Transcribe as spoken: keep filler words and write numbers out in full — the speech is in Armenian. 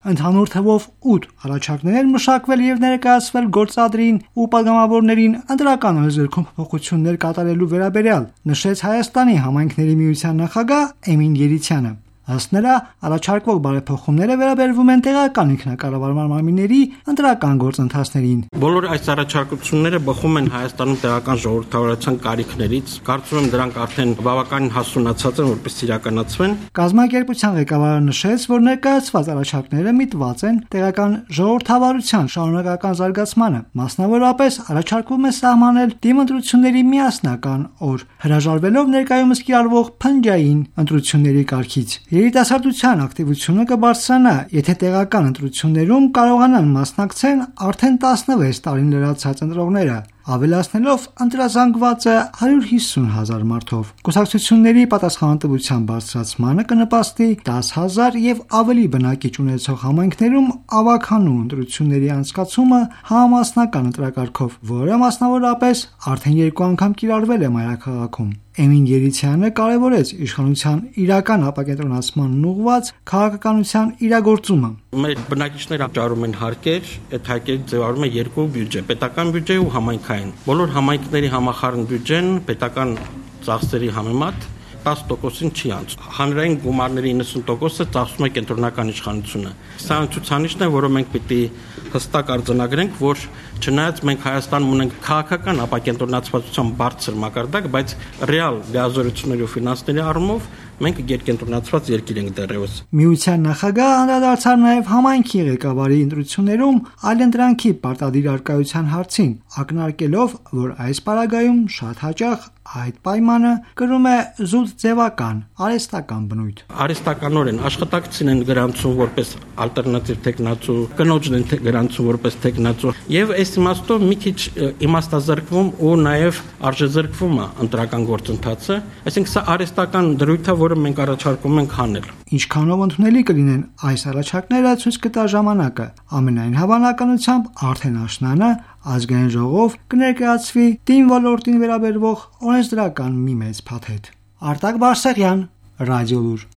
Ընդհանուր թվով ութ առաջարկներ են մշակվել եւ ներկայացվել գործադրին ու պատգամավորներին ընտրական օրենսգրքում փոփոխություններ կատարելու վերաբերյալ, նշեց Հայաստանի համայնքների միության նախագահ Էմին Երիցյանը։ Ըստ նրա, առաջարկվող բարեփոխումները վերաբերվում են տեղական ինքնակառավարման մարմինների ընտրական գործընթացներին։ Բոլոր այս առաջարկությունները բխում են Հայաստանում տեղական ժողովրդավարության կարիքներից։ Կարծում եմ դրանք արդեն բավականին հասունացած են, որպես իրականացվեն։ Կազմակերպության ղեկավարը նշեց, որ ներկայացված առաջարկները միտված են տեղական ժողովրդավարության շարունակական զարգացմանը։ Մասնավորապես առաջարկվում է սահմանել դիմընտրությունների միասնական օր, հրաժարվելով ներկայումս կիրառվող փնջային ընտրությունների կարգից։ Երիտասարդության ակտիվությունը կբարձրանա, եթե տեղական ընտրություններում կարողանան մասնակցել արդեն տասնվեց տարին լրացած ընտրողները, ավելացնելով ընտրազանգվածը հարյուր հիսուն հազար մարդով։ Կուսակցությունների պատասխանատվության բարձրացմանը կնպաստի դաս հազար եւ ավելի բնակիչ ունեցող համայնքներում ավագանու ընտրությունների անցկացումը համամասնական ընտրակարգով, որը մասնավորապես արդեն երկու անգամ կիրառվել է մայրաքաղաքում։ Էմին Երիցյանը կարևորեց իշխանության իրական ապակենտրոնացմանն ուղղված քաղաքականության իրագործումը։ Մեր բնակիչները ճարում են հարկեր, այդ հարկերը ձևավորում է երկու բյուջե՝ պետական բյուջե ու համայնքային։ Բոլոր համայնքների համախառն բյուջեն պետական ծախսերի համեմատ տասը տոկոսին չի անցնում։ Հանրային գումարների իննսուն տոկոսը ծախսում է կենտրոնական իշխանությունը։ Սա ցուցանիշն է, որը մենք պիտի հստակ արձանագրենք, որ չնայած մենք Հայաստանում ունենք քաղաքական ապակենտրոնացվածության բարձր մակարդակ, բայց ռեալ լիազորությունների ու ֆինանսների առումով մենք երկենտրոնացված երկիր ենք դեռևս։ Միության նախագահը անդրադարձավ նաև համայնքի ղեկավարի ընտրություններում այլընտրանքի պարտադիր արկայության հարցին, ակնարկելով, որ այս պարագայում շատ հաճախ այդ պայմանը կրում է զուտ ձևական, արհեստական բնույթ։ Արհեստականորեն աշխատակցին են գրանցում որպես ալտերնատիվ թեկնածու, կնոջն են գրանցում որպես թեկնածու, եւ այս իմաստով մի քիչ իմաստազրկվում ու նաեւ արժեզրկվում է ընտրական գործընթացը, այսինքն սա արհեստական դրույթ է, որը մենք առաջարկում ենք հանել։ Ինչքանով ընդունելի կլինեն այս առաջարկները, ցույց կտա ժամանակը։ Ամենայն հավանականությամբ արդեն աշնանը Ազգային ժողով կներկայացվի թիմ ոլորտին վերաբերող օրենսդրական մի մեծ փաթեթ։ Արտակ Բարսեղյան, Ռադիոլուր։